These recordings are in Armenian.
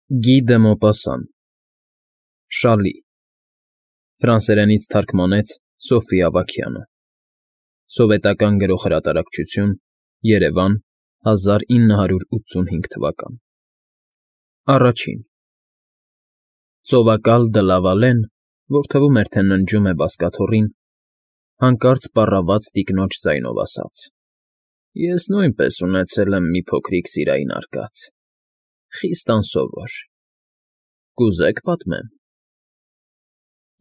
Գի դը Մոպասան Շալի Ֆրանսերենից թարգմանեց Սոֆի Ավագյանը Սովետական գրող֊հրատարակչություն Երևան 1985 թվական Առաջին Ծովակալ դը Լավալեն, որ թվում էր, թե ննջում է բազկաթոռին, հանկարծ պառավաց տիկնոջ ձայնով ասաց. Ես նույնպես ունեցել եմ մի փոքրիկ սիրային արկած, խիստ անսովոր, կուզե՞ք պատմեմ։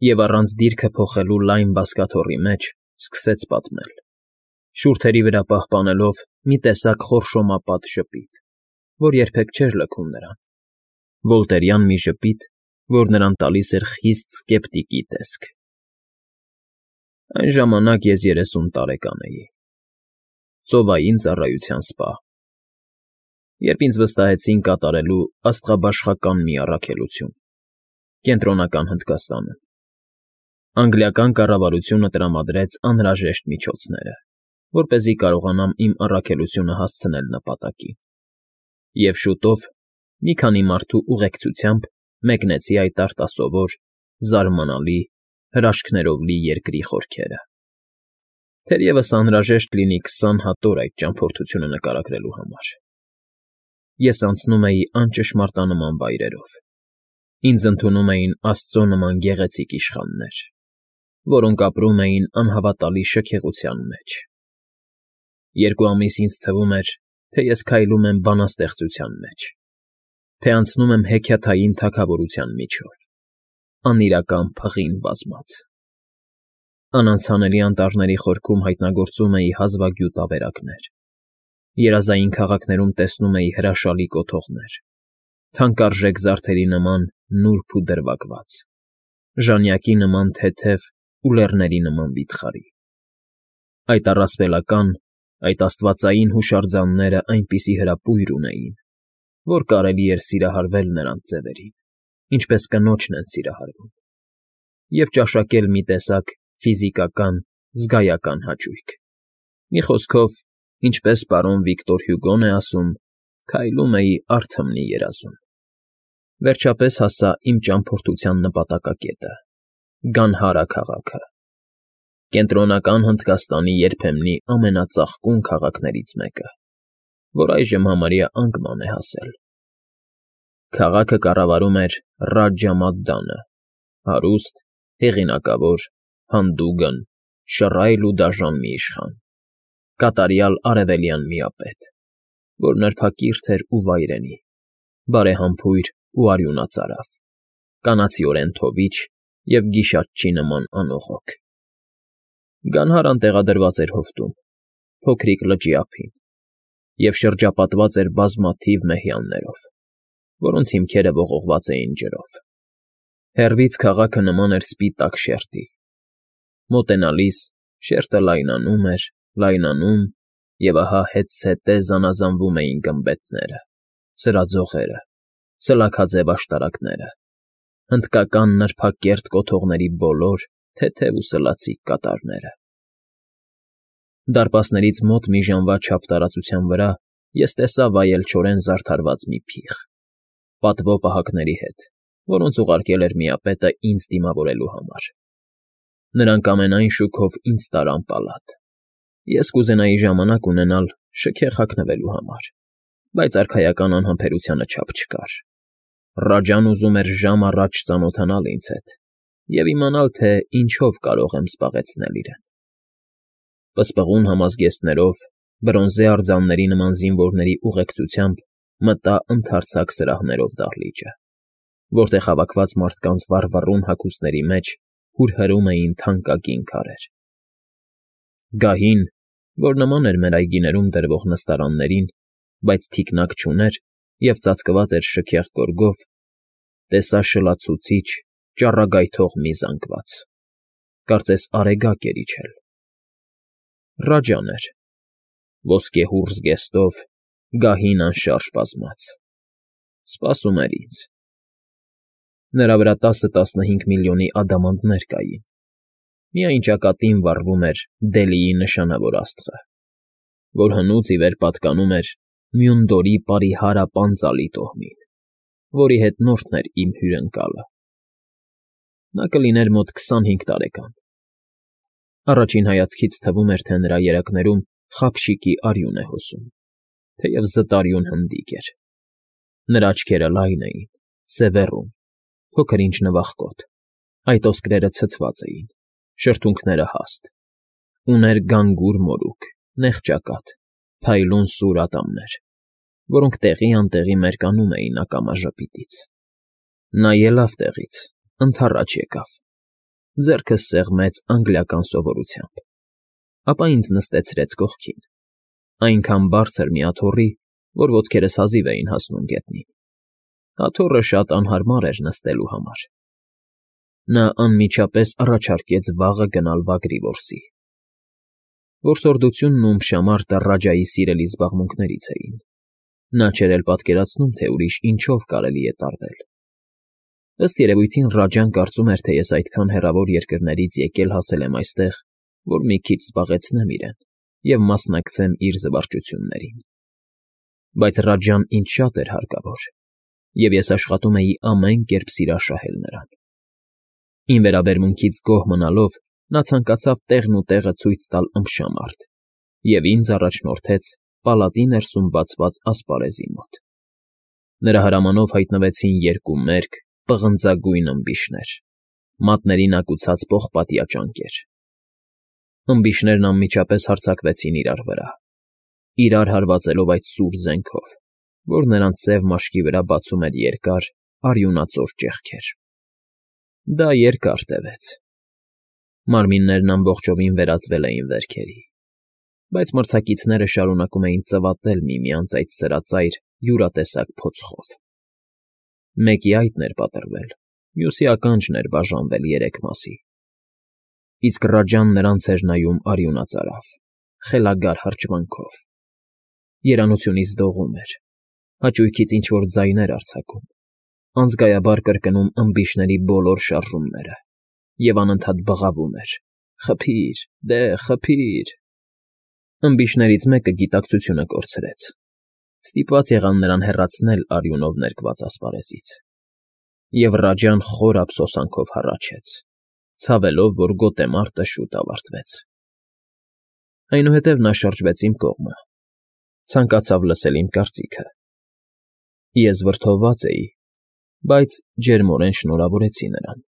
Եվ առանց դիրքը փոխելու լայն բազկաթոռի մեջ սկսեց պատմել, շուրթերի վրա պահպանելով մի տեսակ խորշոմապատ ժպիտ, որ երբեք չէր լքում նրան, վոլտերյան մի ժպիտ, որ նրան տալիս էր խիստ սկեպտիկի տեսք։ Այն ժամանակ ես 30 տարեկան էի, ծովային ծառայության սպա, երբ ինձ վստահեցին կատարելու աստղաբաշխական մի առաքելություն, Կենտրոնական Հնդկաստանում։ Անգլիական կառավարությունը տրամադրեց անհրաժեշտ միջոցները, որպեսզի կարողանամ իմ առաքելությունը հասցնել նպատակին։ Եվ շուտով, մի քանի մարդու ուղեկցությամբ մեկնեցի այդ արտասովոր, զարմանալի, հրաշքներով լի երկրի խորքերը։ Թերևս անհրաժեշտ լինի 20 հատ օր այդ ճամփորդությունը նկարագրելու համար։ Ես անցնում էի անճշմարտանման վայրերով։ Ինձ ընդունում էին Աստծո նման գեղեցիկ իշխաններ, որոնք ապրում էին անհավատալի շքեղության մեջ։ 2 ամիս ինձ թվում էր, թե ես քայլում եմ բանաստեղծության մեջ, թե անցնում եմ հեքիաթային թագավորության միջով, անիրական փղին բազմած։ Անանցանելի անտառների խորքում հայտնագործում էի հազվագյուտ ավերակներ, երազային քաղաքներում տեսնում էի հրաշալի կոթողներ, թանկարժեք զարդերի նման նուրբ ու դրվագված, ժանյակի նման թեթև ու լեռների նման վիթխարի։ Այդ առասպելական, այդ աստվածային հուշարձանները այնպիսի հրապույր ունեին, որ կարելի էր սիրահարվել նրանց ձևերին, ինչպես կնոջն են սիրահարվում, և ճաշակել մի տեսակ ֆիզիկական, զգայական հաճույք։ Մի խոսքով, ինչպես պարոն Վիկտոր Հյուգոն է ասում, քայլում էի արթմնի երազում։ Վերջապես հասա իմ ճամփորդության նպատակակետը՝ Գանհարա քաղաքը, Կենտրոնական Հնդկաստանի երբեմնի ամենածաղկուն քաղաքներից մեկը, որ այժմ համարյա անկման է հասել։ Քաղաքը կառավարում էր Ռաջա Մադդանը, հարուստ, հեղինակավոր, հանդուգն, շռայլ ու դաժան մի իշխան, կատարյալ արևելյան միապետ, որ նրբակիրթ էր ու վայրենի, բարեհամբույր ու արյունածարավ, կանացիորեն թովիչ և գիշատչի նման անողոք։ Գանհարան տեղադրված էր հովտում, փոքրիկ լճի ափին, և շրջապատված էր բազմաթիվ մեհյաններով, որոնց հիմքերը ողողված էին ջրով։ Հեռվից քաղաքը նման էր սպիտակ շերտի։ Մոտենալիս շերտը լայնանում էր, լայնանում, և ահա հետզհետե զանազանվում էին գմբեթները, սրածողերը, սլաքաձև աշտարակները, հնդկական նրբակերտ կոթողների բոլոր թեթև ու սլացիկ կատարները։ Դարպասներից մոտ մի ժամվա չափ տարածության վրա ես տեսա վայելչորեն զարդարված մի փիղ, պատվո պահակների հետ, որոնց ուղարկել էր միապետը ինձ դիմավորելու համար։ Նրանք ամենայն շուքով ինձ տարան պալատ։ Ես կուզենայի ժամանակ ունենալ շքեղ հագնվելու համար, բայց արքայական անհամբերությանը չափ չկար։ Ռաջան ուզում էր ժամ առաջ ծանոթանալ ինձ հետ և իմանալ, թե ինչով կարող եմ զբաղեցնել իրեն։ Պսպղուն համազգեստներով, բրոնզե արձանների նման զինվորների ուղեկցությամբ մտա ընդարձակ սրահներով դահլիճը, որտեղ հավաքված մարդկանց վառվռուն հագուստների մեջ հուրհրում էին թանկագին քարեր։ Գահին, որ նման էր մեր այգիներում դրվող նստարաններին, բայց թիկնակ չուներ և ծածկված էր շքեղ գորգով, տեսա շլացուցիչ, ճառագայթող մի զանգված, կարծես արեգակ էր իջել։ Ռաջան էր, ոսկեհուռ զգեստով, գահին անշարժ բազմած, սպասում էր ինձ։ Նրա վրա 10-15 միլիոնի ադամանդներ կային, միայն ճակատին վառվում էր Դելիի նշանավոր աստղը, որ հնուց ի վեր պատկանում էր Մյունդորի Պարիհարա պանծալի տոհմին, որի հետ նորդն էր իմ հյուրընկալը։ Նա կլիներ մոտ 25 տարեկան։ Առաջին հայացքից թվում էր, թե նրա երակներում խապշիկի արյուն է հոսում, թեև զտարյուն հնդիկ էր։ Նրա աչքերը լայն էին, սևեռուն, փոքր-ինչ նվախկոտ, այտոսկրերը ցցված էին, շրթունքները հաստ։ Ուներ գանգուր մորուք, նեղ ճակատ, փայլուն սուր ատամներ, որոնք տեղի-անտեղի մերկանում էին ակամա ժպիտից։ Նա ելավ տեղից, ընդառաջ եկավ, ձեռքս սեղմեց անգլիական սովորությամբ, ապա ինձ նստեցրեց կողքին, այնքան բարձր մի աթոռի, որ ոտքերս հազիվ էին հասնում գետնին։ Աթոռը շատ անհարմար էր նստելու համար։ Նա անմիջապես առաջարկեց վաղը գնալ վագրի որսի։ Որսորդությունն ու ըմբշամարտը Ռաջայի սիրելի զբաղմունքներից էին։ Նա չէր էլ պատկերացնում, թե ուրիշ ինչով կարելի է տարվել։ Ըստ երևույթին Ռաջան կարծում էր, թե ես այդքան հեռավոր երկրներից եկել հասել եմ այստեղ, որ մի քիչ զբաղեցնեմ իրեն և մասնակցեմ իր զվարճություններին։ Բայց Ռաջան ինձ շատ էր հարկավոր, և ես աշխատում էի ամեն կերպ սիրաշահել նրան։ Իմ վերաբերմունքից գոհ մնալով, նա ցանկացավ տեղն ու տեղը ցույց տալ ըմբշամարտ և ինձ առաջնորդեց պալատի ներսում բացված ասպարեզի մոտ։ Նրա հրամանով հայտնվեցին երկու մերկ, պղնձագույն ըմբիշներ, մատներին ակուցած պողպատյա ճանկեր։ Ըմբիշներն անմիջապես հարձակվեցին իրար վրա, իրար հարվածելով այդ սուր զենքով, որ նրանց սև մաշկի վրա բացում էր երկար, արյունածոր ճեղքեր։ Դա երկար տևեց։ Մարմիններն ամբողջովին վերածվել էին վերքերի, բայց մրցակիցները շարունակում էին ծվատել միմյանց այդ սրածայր յուրատեսակ փոցխով։ Մեկի այտն էր պատռվել, մյուսի ականջն էր բաժանվել 3 մասի։ Իսկ Ռաջան նրանց էր նայում արյունածարավ, խելագար հրճվանքով։ Երանությունից դողում էր, հաճույքից ինչ֊որ ձայներ արձակում, անզգայաբար կրկնում ըմբիշների բոլոր շարժումները և անընդհատ բղավում էր. «Խփի՛ր, դե, խփի՛ր»։ Ըմբիշներից մեկը գիտակցությունը կորցրեց։ Ստիպված եղան նրան հեռացնել արյունով ներկված ասպարեզից։ Եվ Ռաջան խոր ափսոսանքով հառաչեց, ցավելով, որ գոտեմարտը շուտ ավարտվեց։ Այնուհետև նա շրջվեց իմ կողմը, ցանկացավ լսել իմ կարծիքը։ Ես վրդովված էի, բայց ջերմորեն շնորհավորեցի նրան։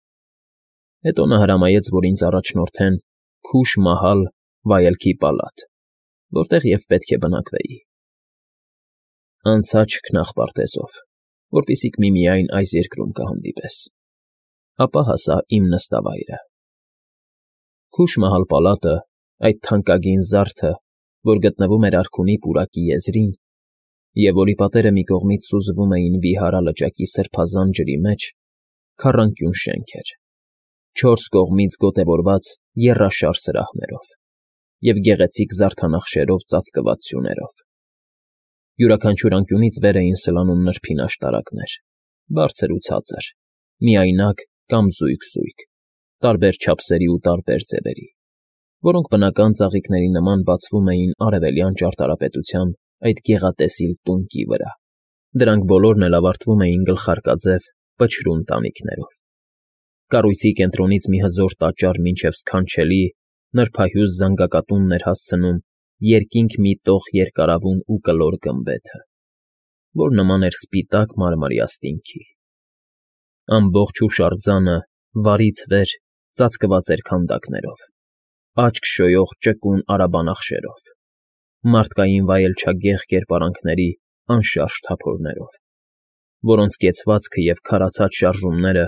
Հետո նա հրամայեց, որ ինձ առաջնորդեն Քուշ֊Մահալ վայելքի պալատ, որտեղ և պետք է բնակվեի։ Անցա չքնաղ որպեսզի միմիայն այս երկրում կհանդիպես, ապա հասա իմ նստավայրը։ Քուշ֊Մահալ պալատը, այդ թանկագին զարդը, որ գտնվում էր արքունի պուրակի եզրին, և որի պատերը մի կողմից սուզվում էին Վիհարա լճակի սրբազան ջրի մեջ, քառանկյուն շենք էր, 4 կողմից գոտևորված եռաշար սրահներով և գեղեցիկ զարդանախշերով ծածկված սյուներով։ Յուրաքանչյուր անկյունից վեր էին սլանում նրբին աշտարակներ, բարձր ու ցածր, միայնակ կամ զույգ, տարբեր չափսերի ու տարբեր ձևերի, որոնք բնական ծաղիկների նման բացվում էին արևելյան ճարտարապետության այդ գեղատեսիլ տունկի վրա։ Դրանք բոլորն էլ ավարտվում էին գլխարկաձև, պչրուն տանիքներով։ Կառույցի կենտրոնից մի հզոր տաճար մինչև սքանչելի, նրբահյուս զանգակատունն էր հասցնում երկինք մի տող երկարավուն ու կլոր գմբեթը, որ նման էր սպիտակ մարմարի աստինքի։ Ամբողջ հուշարձանը վարից վեր ծածկված էր քանդակներով, աչք շոյող ճկուն արաբանախշերով, մարդկային վայելչագեղ կերպարանքների անշարժ թափորներով, որոնց կեցվածքը և քարացած շարժումները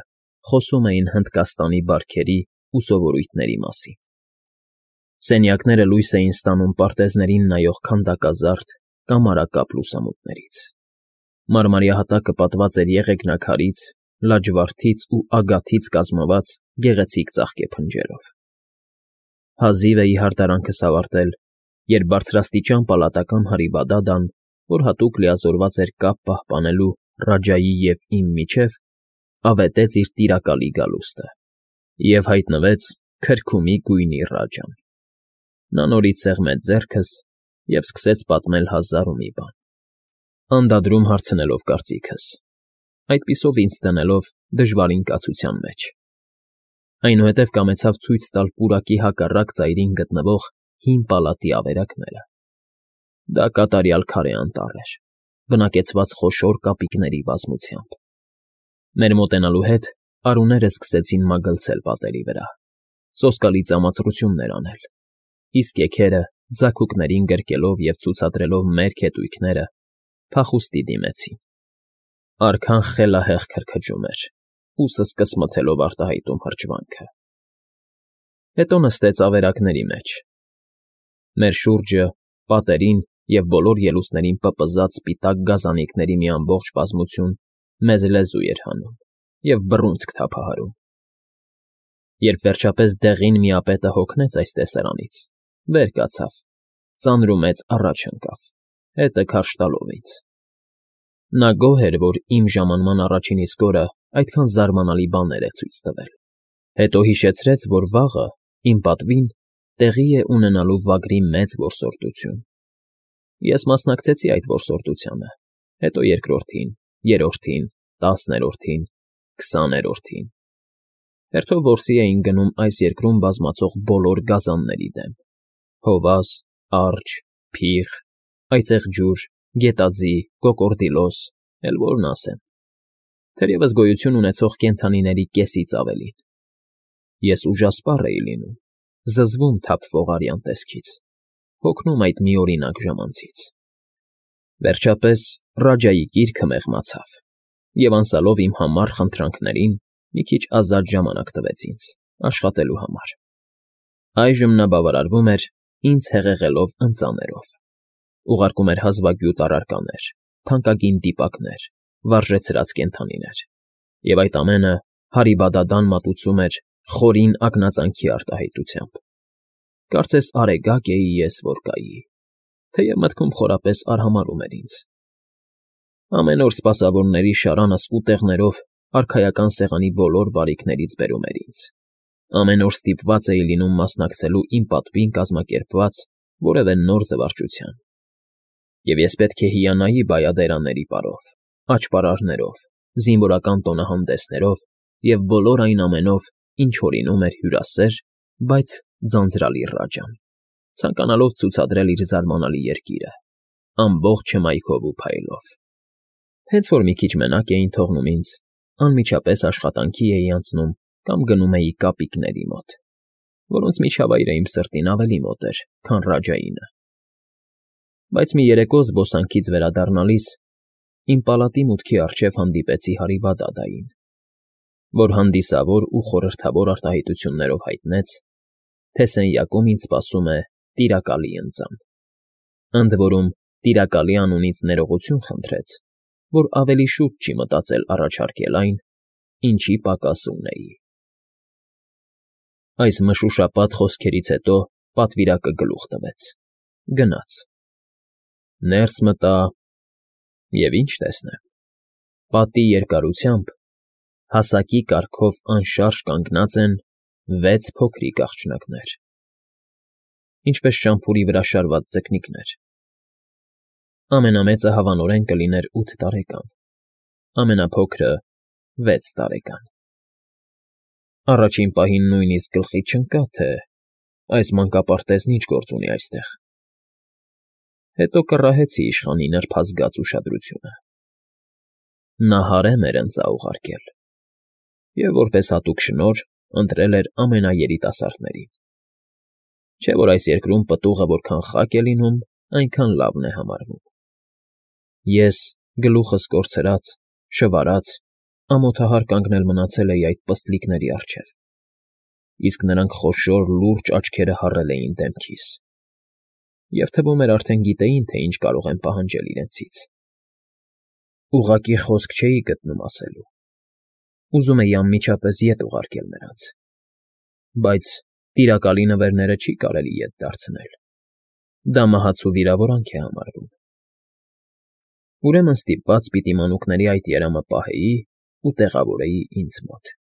խոսում էին Հնդկաստանի բարքերի ու սովորույթների մասին։ Սենյակները լույս էին ստանում պարտեզներին նայող քանդակազարդ կամարակապ լուսամուտներից։ Մարմարիահատակը պատված էր եղեգնաքարից, լաջվարդից ու ագաթից կազմված գեղեցիկ ծաղկեփնջերով։ Հազիվ էի հարդարանքս ավարտել, երբ բարձրաստիճան պալատական հրիվադադան, որ հատուկ լիազորված էր կապ պահպանելու Ռաջայի և իմ միջև, ավետեց իր տիրակալի գալուստը և հայտնվեց քրքումի գույնի Ռաջան։ Նա նորից սեղմեց ձեռքս և սկսեց պատմել հազար ու մի բան, անդադրում հարցնելով կարծիքս։ այդպիսով ինձ դնելով դժվարին կացության մեջ։ Այնուհետև կամեցավ ցույց տալ պուրակի հակառակ ծայրին գտնվող հին պալատի ավերակները։ Դա կատարյալ քարե անտառ էր, բնակեցված խոշոր կապիկների բազմությամբ։ Մեր մոտենալու հետ արուները սկսեցին մագլցել պատերի վրա, սոսկալի ծամացրություններ անել, իսկ եքերը ձագուկներին գրկելով և ցուցադրելով մերկ հետույքները, փախուստի դիմեցին։ Արքան խելահեղ քրքջում էր, ուսս կսմթելով արտահայտում հրճվանքը։ Հետո նստեց ավերակների մեջ։ Մեր շուրջը, պատերին և բոլոր ելուստներին պպզած սպիտակ գազանիկների մի ամբողջ բազմություն մեզ լեզու էր հանում և բռունցք թափահարում։ Երբ վերջապես դեղին միապետը հոգնեց այս տեսարանից, վեր կացավ, ծանր ու մեծ առաջ ընկավ, հետը քարշ տալով ինձ։ Նա գոհ էր, որ իմ ժամանման առաջին իսկ օրը այդքան զարմանալի բաներ է ցույց տվել։ Հետո հիշեցրեց, որ վաղը, իմ պատվին, տեղի է ունենալու վագրի մեծ որսորդություն։ Ես մասնակցեցի այդ որսորդությանը, հետո երկրորդին, երրորդին, 10-րդին, 20-րդին։ Հերթով որսի էին գնում այս երկրում բազմացող բոլոր գազանների դեմ՝ հովազ, արջ, փիղ, այծեղջյուր, գետաձի, կոկորդիլոս, էլ որն ասեմ, թերևս գոյություն ունեցող կենդանիների կեսից ավելին։ Ես ուժասպառ էի լինում, զզվում թափվող արյան տեսքից, հոգնում այդ միօրինակ ժամանցից։ Վերջապես Ռաջայի գիրքը մեղմացավ, և անցյալով իմ համառ խնդրանքներին մի քիչ ազատ ժամանակ տվեց ինձ աշխատելու համար։ Այժմ նա բավարարվում էր ինձ հեղեղելով ընծաներով, ուղարկում էր հազվագյուտ առարկաներ, թանկագին դիպակներ, վարժեցրած կենդանիներ, և այդ ամենը հարիբադադան մատուցում էր խորին ակնածանքի արտահայտությամբ։ Կարծես արեգակ էի ես, որ կայի, թեև մտքում խորապես արհամարհում էր ինձ։ Ամեն օր սպասավորների շարանը սկուտեղներով արքայական սեղանի բոլոր բարիքներից բերում էր ինձ։ Ամեն օր ստիպված էի լինում մասնակցելու իմ պատվին կազմակերպված որևէ նոր զվարճության։ Եվ ես պետք է հիանայի բայադերանների պարով, աճպարարներով, զինվորական տոնահանդեսներով և բոլոր այն ամենով, ինչ հորինում էր հյուրասեր, բայց ձանձրալի Ռաջան, ցանկանալով ցուցադրել իր զարմանալի երկիրը, ամբողջ հմայքով ու փայլով։ Հենց որ մի քիչ մենակ էին թողնում ինձ, անմիջապես աշխատանքի էի անցնում կամ գնում էի կապիկների մոտ, որոնց միջավայրը իմ սրտին ավելի մոտ էր, քան Ռաջայինը։ Բայց մի երեկո զբոսանքից վերադառնալիս իմ պալատի մուտքի առջև հանդիպեցի Հարիբադադային, որ հանդիսավոր ու խորհրդավոր արտահայտություններով հայտնեց, թե սենյակում ինձ սպասում է տիրակալի ընծան։ Ընդ որում, տիրակալի անունից ներողություն խնդրեց, որ ավելի շուտ չի մտածել առաջարկել այն, ինչի պակաս ունեի։ Այս մշուշապատ խոսքերից հետո պատվիրակը գլուխ տվեց, գնաց։ Ներս մտա և ինչ տեսնեմ, պատի երկարությամբ, հասակի կարգով անշարժ կանգնած են 6 փոքրիկ աղջնակներ, ինչպես շամփուրի վրա շարված ձկնիկներ։ Ամենամեծը հավանորեն կլիներ 8 տարեկան, ամենափոքրը 6 տարեկան։ Առաջին պահին նույնիսկ գլխի չընկա, թե այս մանկապարտեզն ինչ գործ ունի այստեղ։ Հետո կռահեցի իշխանի նրբազգաց ուշադրությունը։ Նա հարեմ էր ընծա ուղարկել և որպես հատուկ շնորհ ընտրել էր ամենաերիտասարդներին։ Չէ՞ որ այս երկրում պտուղը որքան խաք է լինում, այնքան լավն է համարվում։ Ես, գլուխս կորցրած, շվարած, ամոթահար կանգնել մնացել էի այդ պստլիկների առջև, իսկ նրանք խոշոր լուրջ աչքերը հառել էին դեմքիս, և թվում էր արդեն գիտեին, թե ինչ կարող եմ պահանջել իրենցից։ Ուղղակի խոսք չէի գտնում ասելու։ Ուզում էի անմիջապես ետ ուղարկել նրանց, բայց տիրակալի նվերները չի կարելի ետ դարձնել, դա մահացու վիրավորանք է համարվում։ Ուրեմն ստիպված պիտի մանուկների այդ երամը պահեի ու տեղավորեի ինձ մոտ։